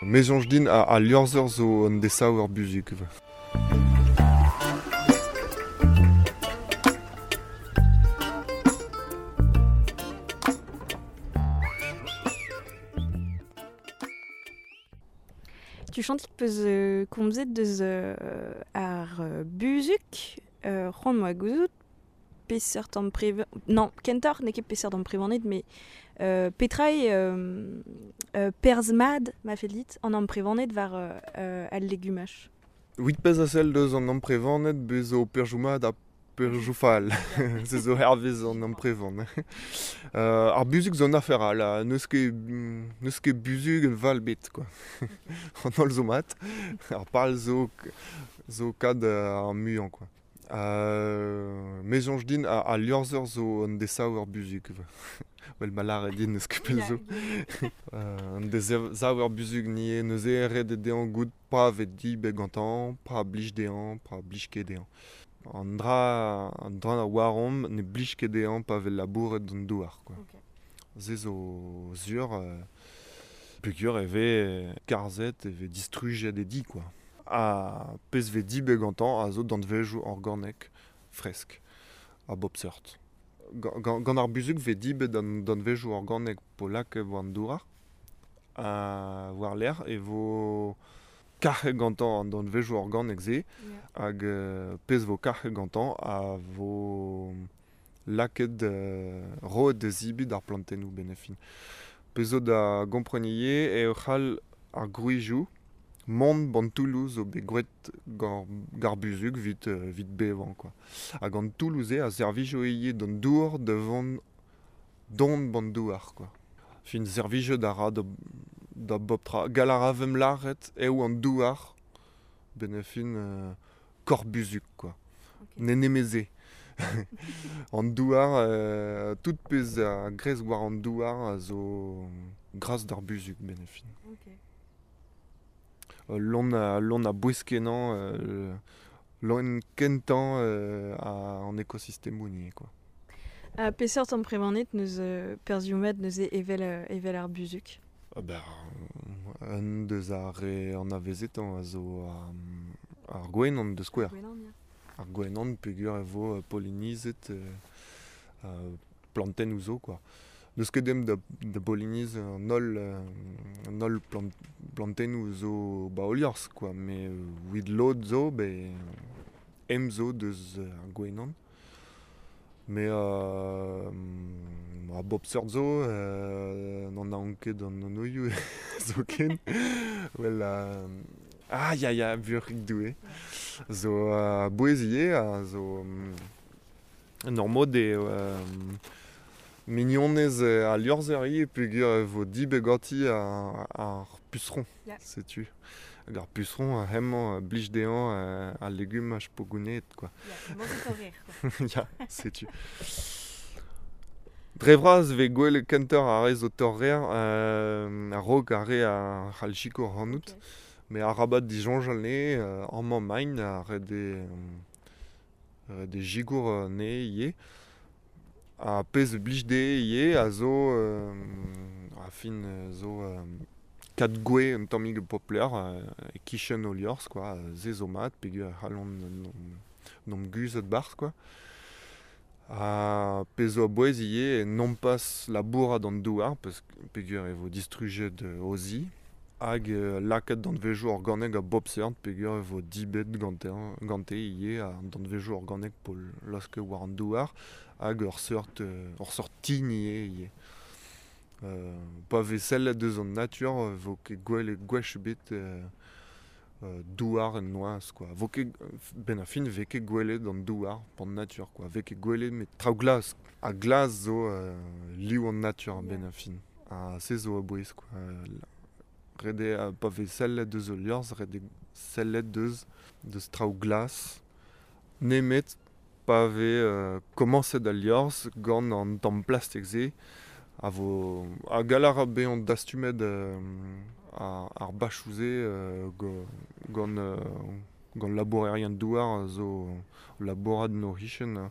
Me soñj din al liorzher zo un desaver buzhug. Tuchantik peus komzet deus ar buzhug, c'hoant 'moa gouzout peseurt amprevan... Non, kentoc'h n'eo ket peseurt amprevaned, met petra eo perzh mat, ma fell dit, an amprevaned war al legumaj? Evit pezh a sell deus an amprevaned, bez zo perzhioù mat ha perzhioù fall. Se zo hervez an amprevan. Ar buzhug zo un afer all, ha n'eus ket n'eus ket buzhug val ebet quoi. An holl zo mat, ar pal zo zo kad ar muiañ quoi. Me soñj din al liorzher zo un desaver buzhug. Well ma lâret din n'eus ket pell zo. Un desaver buzhug ni neuze ret eo dezhañ goût pa vez dibet gantañ, pa blij dezhañ, pa blij ket dezhañ. An dra an dra a oaromp ne blij ket dezhañ pa vez labouret an douar quoi. Se zo sur peogwir e vez karzhet, e vez distrujet e di quoi. Ha pezh vez dibet gantañ a zo danvezioù organek fresk a bep seurt. Gant ar buzhug vez dibet an danvezioù organek polak war an douar. Ha war-lerc'h e vo kac'het gantañ an danvezioù organek-se hag pezh vo kac'het gantañ a vo lakaet roet da zebriñ d'ar plantennoù 'benn ar fin. Pezh zo da gompren ivez eo c'hall ar gwrizioù mont 'ban toulloù zo bet graet gant ar buzhug evit evit bevañ quoi. Hag an toulloù-se a servijo ivez d'an dour da vont don 'ban douar quoi. Fin servijout a ra da bep tra. Gall a ra vemp lâret eo an douar 'benn ar fin korr-buzhug quoi. N'eo nemet se. An douar, tout pezh a gresk war an douar a zo gras d'ar buzhug 'benn ar fin. Lon a, lon a bouez-kenañ, loen kentañ an ekosistemoù ivez quoi. Ha peseurt amprevaned n'eus perzhioù mat neuze evel, evel ar buzhug? Ben, un deus ar re anavezetañ a zo ar gwenan da skouer. Ar gwenan peogwir e vo polinizet plantennoù zo quoi. N'eus ket ezhomm da bolinizañ an holl an holl plantennoù zo 'ba o liorzh quoi met evit lod zo bet ezhomm zo deus ar gwenan. Mais a bep seurt zo, n'anaon ket an anvioù zoken. Well ah ya ya buoc'hig Doue zo a-bouez ivez a zo en ur mod eo mignonez al liorzher ivez peogwir e vo dibet ganti ar puseron, setu. Hag ar puseron hemañ a blij dezhañ al legumaj 'po gounezet quoi. Ya, setu. Dre vras e vez gwelet kentoc'h ar re zo torrer a-raok ar re a c'hall sikour ac'hanout. Met arabat disoñjal anezhe, amañ 'maint ha ret eo ret eo sikour anezhe ivez. Ha pezh a blij dezhe ivez a zo a fin zo kad gwez un tammig popler e-kichen o liorzh quoi, se zo mat peogwir e c'hallont 'n em guzhat 'barzh quoi. Ha pezh zo a-bouez ivez eo nompas labourat an douar peogwir e vo distrujet o zi hag lakaat danvezioù organek a bep seurt peogwir e vo dibet gante ivez an danvezioù organek 'po laosket war an douar hag ur seurt ur seurt tin ivez ivez. Pa vez sellet deus an natur e vo ket gwelet gwech ebet douar en noazh quoi. Vo ket 'benn ar fin ne vez ket gwelet an douar an natur quoi. Vez ket gwelet met traoù glas. Ha glas zo liv an natur a-benn ar fin. Ha se zo a-bouez quoi. Ret eo pa vez sellet deus ul liorzh ret eo sellet deus deus traoù glas nemet pa vez komañset al liorzh gant an tamm plastik-se a vo ha gall a ra bezañ dastumet ar bachoù-se gant gant labourerien-douar a zo labourat en o c'hichen.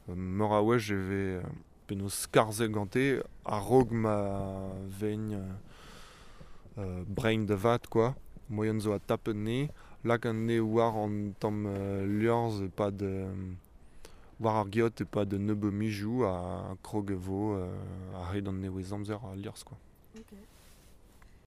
Meur a wech e vez penaos skarzhet gante a-raok ma vegn Brein da vat kwa, moaien zo adtapet anezhe, lak anezhe war an tamm liorzh e-pad war ar geot e-pad un nebeud mizioù ha krog e vo a-hed an nevez-amzer al liorzh kwa. Ok.